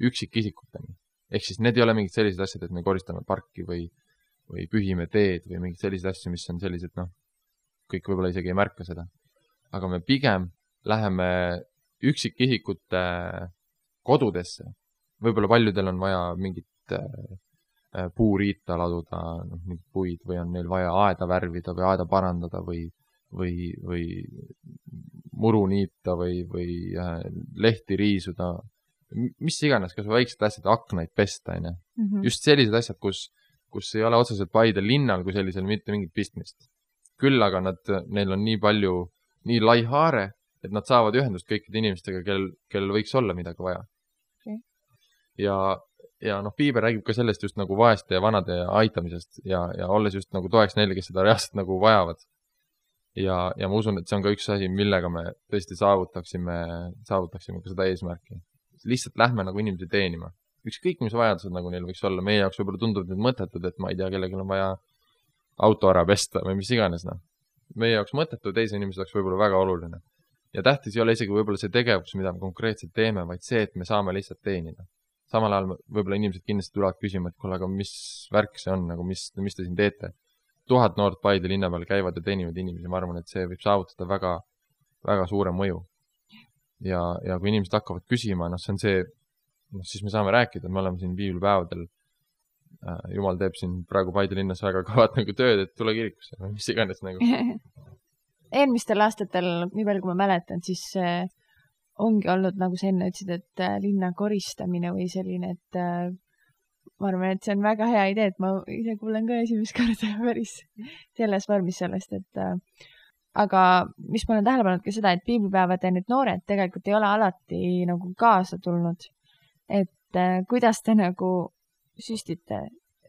üksikisikuteni. Ehk siis need ei ole mingid sellised asjad, et me koristame parki või pühime teed või mingid sellised asjad, mis on sellised, kõik võib-olla isegi ei märka seda. Aga me pigem läheme üksikisikute kodudesse. Võib-olla paljudel on vaja mingit puuriita laduda, mingid puid või on neil vaja aeda värvida või aeda parandada või muru niita või lehti riisuda. Mis iganes, kas väiksed asjad, aknaid pesta, aine. Just sellised asjad, kus ei ole otseselt Paide linnal kui sellisel mitte mingit pistmist. Küll aga neil on nii palju, nii lai haare, et nad saavad ühendust kõikide inimestega, kellel võiks olla midagi vaja. Okay. Ja Piiber räägib ka sellest just nagu vaeste ja vanade aitamisest ja olles just nagu toeks neile, kes seda reaalselt nagu vajavad. Ja ma usun, et see on ka üks asi, millega me tõesti saavutaksime ka seda eesmärki. Lihtsalt lähme nagu inimesi teenima. Ükskõik, mis vajadused nagu neil võiks olla. Meie jaoks võib-olla tundub need mõttetud, et ma ei tea, kellelgi on vaja auto ära pesta või mis iganes. Meie jaoks mõttetu, teise inimese jaoks võib-olla väga oluline. Ja tähtis ei ole isegi võib-olla see tegevus, mida me konkreetselt teeme, vaid see, et me saame lihtsalt teenida. Samal ajal võib-olla inimesed kindlasti tulevad küsima, et kuule, aga mis värk see on, nagu mis te siin teete? 1000 noort Paide linna peal käivad ja teenivad inimesi, ma arvan, et see võib saavutada väga, väga suure mõju. Ja kui inimesed hakkavad küsima, see on see, siis me saame rääkida, me oleme siin piibelpäevadel, Jumal teeb siin praegu Paide linnas väga kavat nagu tööd, et tule kirikusse, mis iganes nagu. Eelmistel aastatel, nii palju kui ma mäletan, siis ongi olnud, nagu sa enne ütlesid, et linna koristamine või selline, et ma arvan, et see on väga hea idee, et ma ise kuulen ka esimest korda päris selles vormis sellest, et aga mis ma olen tähele pannud ka seda, et piibelpäevade need noored tegelikult ei ole alati nagu kaasa tulnud, et kuidas te nagu süstite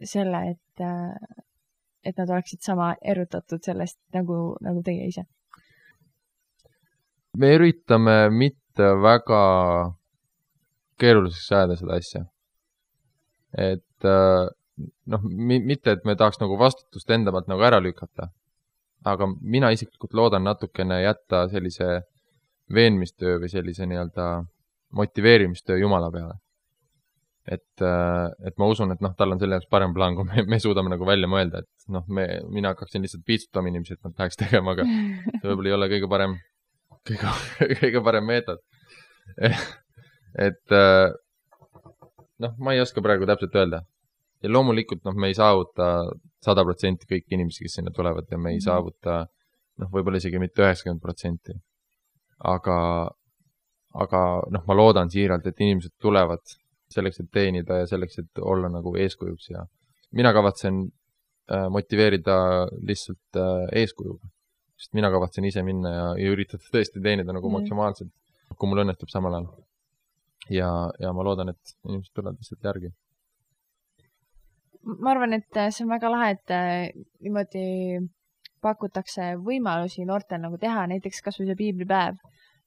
selle, et nad oleksid sama erutatud sellest nagu teie ise? Me üritame mitte väga keeruliseks ajada seda asja. Et mitte, et me tahaks nagu vastutust enda pealt nagu ära lükata, aga mina isiklikult loodan natukene jätta sellise veenmistöö või sellise nii-öelda motiveerimistöö Jumala peale. Et ma usun, et tal on selle jaoks parem plaan, kui me suudame nagu välja mõelda, et mina hakkaksin lihtsalt piitsutama inimesi, et nad läheks tegema, aga see võib-olla ei ole kõige parem meetod. Et ma ei oska praegu täpselt öelda. Ja loomulikult me ei saavuta 100% kõik inimesi, kes sinna tulevad ja me ei saavuta võib-olla isegi mitte 90%. Aga ma loodan siiralt, et inimesed tulevad selleks, et teenida ja selleks, et olla nagu eeskujuks ja mina kavatsen motiveerida lihtsalt eeskujuga. Sest mina kavatsen ise minna ja üritada tõesti teenida nagu maksimaalselt, kui mul õnnestub samal ajal. Ja ma loodan, et inimesed tulevad lihtsalt järgi. Ma arvan, et see on väga lahe, et niimoodi pakutakse võimalusi noortel nagu teha, näiteks kas või see piiblipäev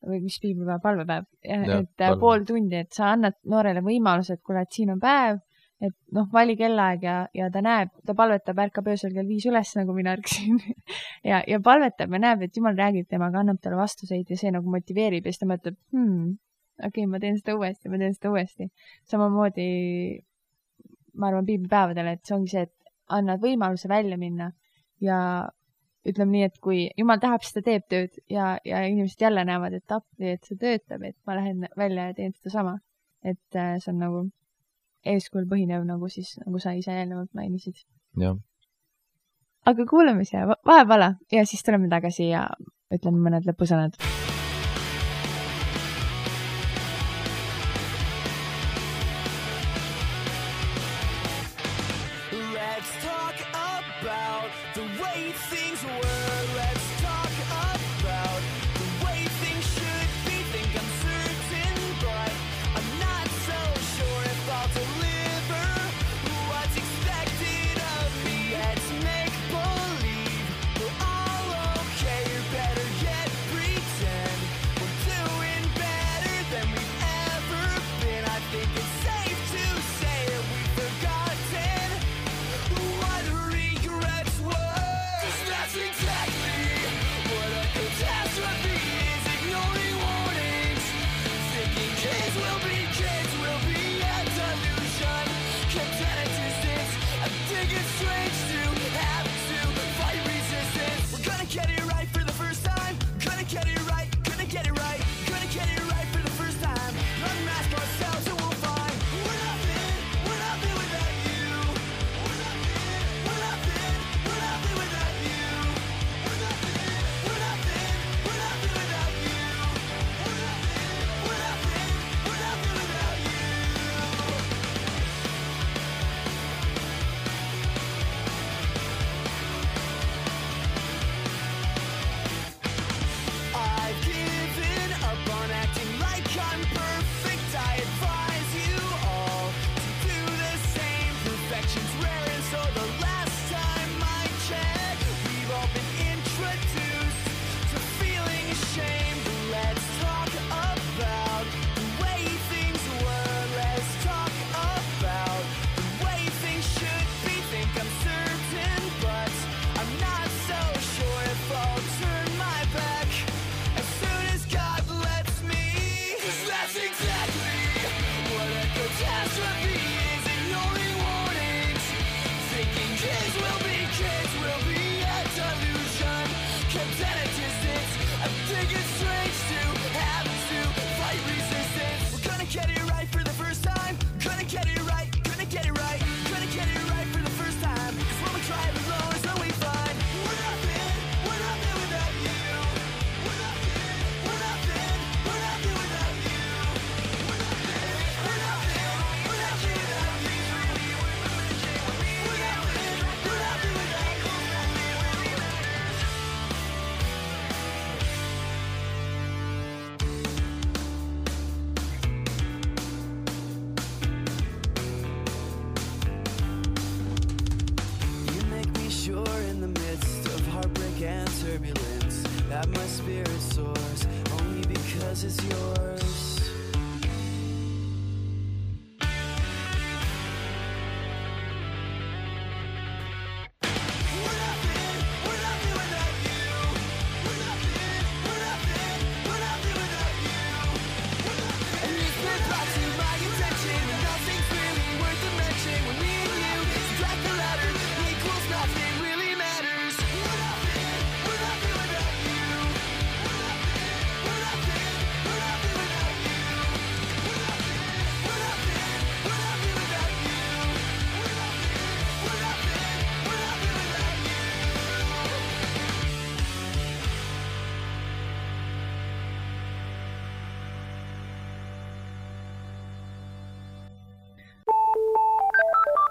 või mis piiblipäev, palvepäev, et pool tundi, et sa annad noorele võimaluse, et kuule, et siin on päev, et vali kellaaeg ja ta palvetab, ärkab öösel kell 5 üles, nagu mina ärksin ja palvetab ja näeb, et Jumal räägib temaga, annab talle vastuseid ja see nagu motiveerib ja siis ta mõtleb, okei, ma teen seda uuesti. Samamoodi ma arvan piiblipäevadele, et see ongi see, et annad võimaluse välja minna ja ütleme nii, et kui Jumal tahab, siis ta teeb tööd ja inimesed jälle näevad, et appi, et see töötab, et ma lähen välja ja teen seda sama. Et see on nagu eeskujul põhinev, nagu sa ise eelnevalt mainisid. Ja. Aga kuuleme siia vahepala ja siis tuleme tagasi ja ütleme mõned lõpusõnad.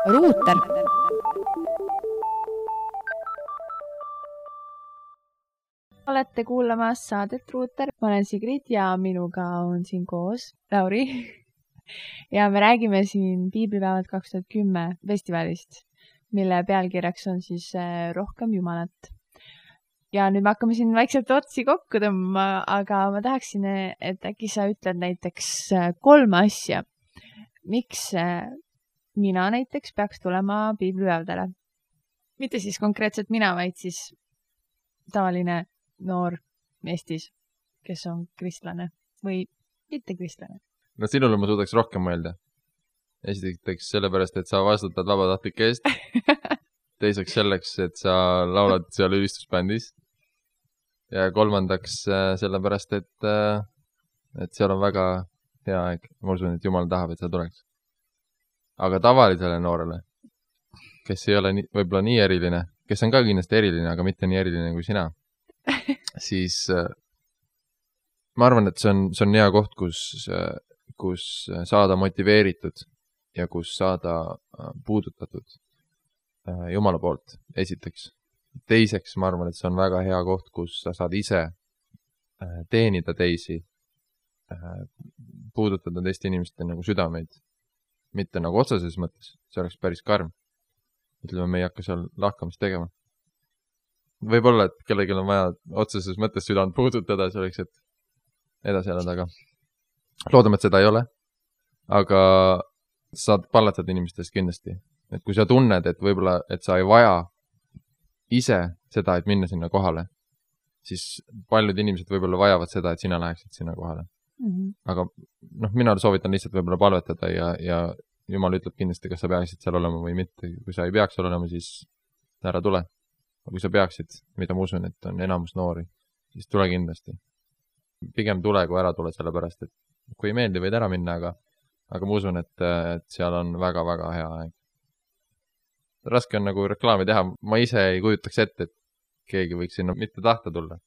Ruuter. Olete kuulamas saadet Ruuter. Ma olen Sigrid ja minuga on siin koos Lauri. Ja me räägime siin Piiblipäevad 2010 festivalist, mille pealkirjaks on siis Rohkem Jumalat. Ja nüüd me hakkame siin vaikselt otsi kokku tõmbama, aga ma tahaksin, et äkki sa ütled näiteks 3 asja. Miks mina näiteks peaks tulema Piiblipäevadele? Mitte siis konkreetselt mina, vaid siis tavaline noor Eestis, kes on kristlane või mitte kristlane. No sinule ma suudaks rohkem mõelda. Esiteks sellepärast, et sa vastutad vabatahtlike eest. Teiseks selleks, et sa laulad seal ülistusbändis. Ja kolmandaks sellepärast, et seal on väga hea aeg. Ma usun, et Jumal tahab, et sa tuleks. Aga tavalisele noorele, kes ei ole võib-olla nii eriline, kes on ka kindlasti eriline, aga mitte nii eriline kui sina, siis ma arvan, et see on hea koht, kus saada motiveeritud ja kus saada puudutatud Jumala poolt, esiteks. Teiseks, ma arvan, et see on väga hea koht, kus sa saad ise teenida teisi, puudutada teiste inimeste nagu südameid. Mitte nagu otseses mõttes, see oleks päris karm. Ütleme, me ei hakka seal lahkamist tegema. Võib-olla, et kellelgi on vaja otseses mõttes südant puudutada, selleks, et edasi elada, aga loodame, et seda ei ole. Aga saad pallatada inimestest kindlasti. Et kui sa tunned, et võib-olla, et sa ei vaja ise seda, et minna sinna kohale, siis paljud inimesed võib-olla vajavad seda, et sina läheksid sinna kohale. Aga mina soovitan lihtsalt võib-olla palvetada ja Jumal ütleb kindlasti, kas sa peaksid seal olema või mitte. Kui sa ei peaks olema, siis ära tule. Aga kui sa peaksid, mida ma usun, et on enamus noori, siis tule kindlasti. Pigem tule, kui ära tule, sellepärast, et kui ei meeldi, võid ära minna, aga ma usun, et seal on väga-väga hea aeg. Raske on nagu reklaami teha. Ma ise ei kujutaks ette, et keegi võiks sinna mitte tahta tulla.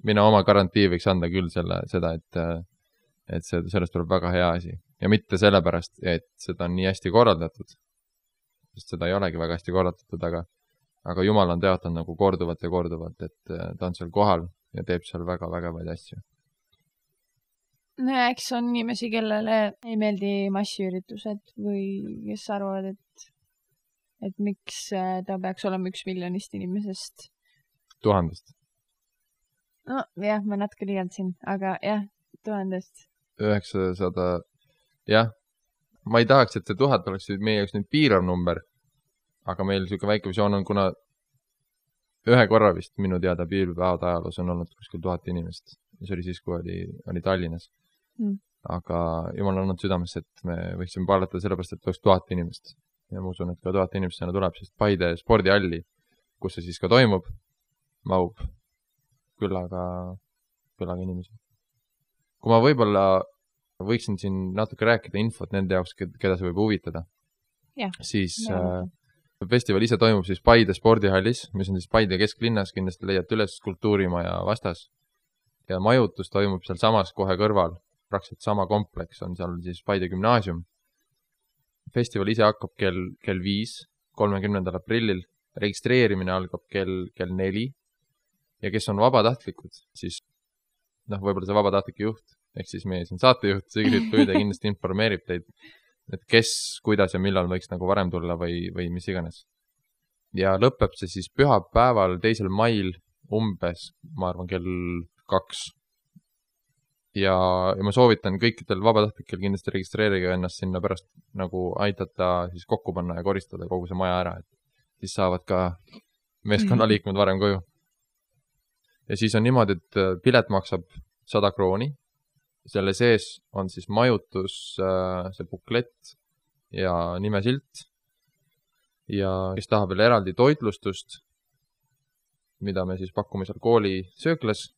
Mina oma garantii võiks anda küll seda, et sellest tuleb väga hea asi. Ja mitte sellepärast, et seda on nii hästi korraldatud, sest seda ei olegi väga hästi korraldatud, aga Jumal on teatanud nagu korduvalt ja korduvalt, et ta on seal kohal ja teeb seal väga vägevaid asju. No ja eks on inimesi, kellele ei meeldi massiüritused või kes arvavad, et miks ta peaks olema 1 miljonist inimesest. 1000. No jah, ma natuke liialdasin, aga jah, 1000. 900, jah. Ma ei tahaks, et see 1000 oleks meie jaoks nüüd piirav number, aga meil selline väike visioon on, kuna ühe korra vist minu teada Piiblipäevade ajaloos on olnud kuskil 1000 inimest. See oli siis, kui oli Tallinnas. Aga Jumal on olnud südames, et me võiksime pallatada sellepärast, et oleks 1000 inimest. Ja ma usun, et ka 1000 inimest sinna tuleb, sest Paide spordihalli, kus see siis ka toimub, mahub küllaga inimesi. Kui ma võib-olla võiksin siin natuke rääkida infot nende jaoks, keda see võib huvitada, siis festival ise toimub siis Paide spordihallis, mis on siis Paide kesklinnas, kindlasti leiate üles Kultuurimaja vastas. Ja majutus toimub seal samas kohe kõrval, praktiliselt sama kompleks on seal siis Paide gümnaasium. Festival ise hakkab kell 5, 30. aprillil, registreerimine algab kell 4 ja kes on vabatahtlikud, siis võib-olla see vabatahtlike juht, ehk siis meie siin saatejuht Sigrid Püüde kindlasti informeerib teid, et kes, kuidas ja millal võiks nagu varem tulla või mis iganes. Ja lõpeb see siis pühapäeval 2. mail umbes, ma arvan, kell 2. Ja ma soovitan kõikidel vabatahtlikel kindlasti registreerige ennast sinna pärast nagu aidata siis kokku panna ja koristada kogu see maja ära, et siis saavad ka meeskonnaliikmed varem koju. Ja siis on niimoodi, et pilet maksab 100 krooni. Selle sees on siis majutus, see buklett ja nimesilt. Ja kes tahab veel eraldi toitlustust, mida me siis pakume seal kooli sööklas,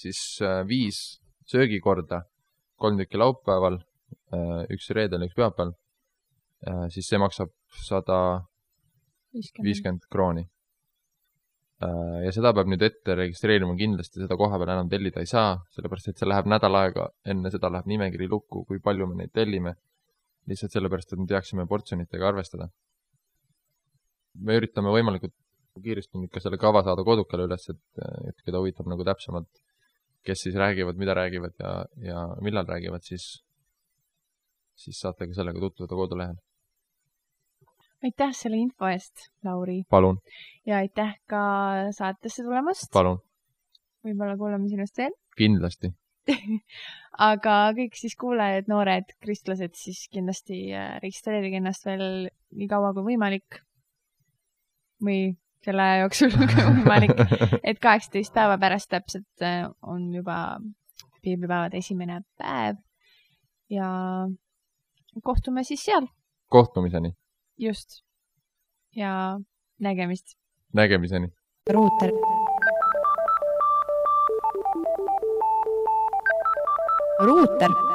siis 5 söögikorda, 3 tükki laupäeval, 1 reedel, 1 pühapäeval, siis see maksab 150 krooni. Ja seda peab nüüd ette registreerima kindlasti, seda koha peal enam tellida ei saa, sellepärast et see läheb nädal aega, enne seda läheb nimekiri lukku, kui palju me neid tellime. lihtsalt sellepärast, et me teaksime portsjonitega arvestada. Me üritame võimalikult kiiresti nüüd ka selle kava saada kodukale üles, et keda huvitab nagu täpsemalt, kes siis räägivad, mida räägivad ja millal räägivad, siis saate ka sellega tutvuda kodulehel. Aitäh selle info eest, Lauri. Palun. Ja aitäh ka saatesse tulemast. Palun. Võib-olla kuuleme sinust veel. Kindlasti. Aga kõik siis kuulajad, noored kristlased, siis kindlasti registreerige ennast veel nii kaua kui võimalik või selle aja jooksul kui võimalik, et 18 päeva pärast täpselt on juba piiblipäevade esimene päev ja kohtume siis seal. Kohtumiseni. Just. Ja nägemist. Nägemiseni. Ruuter. Ruuter.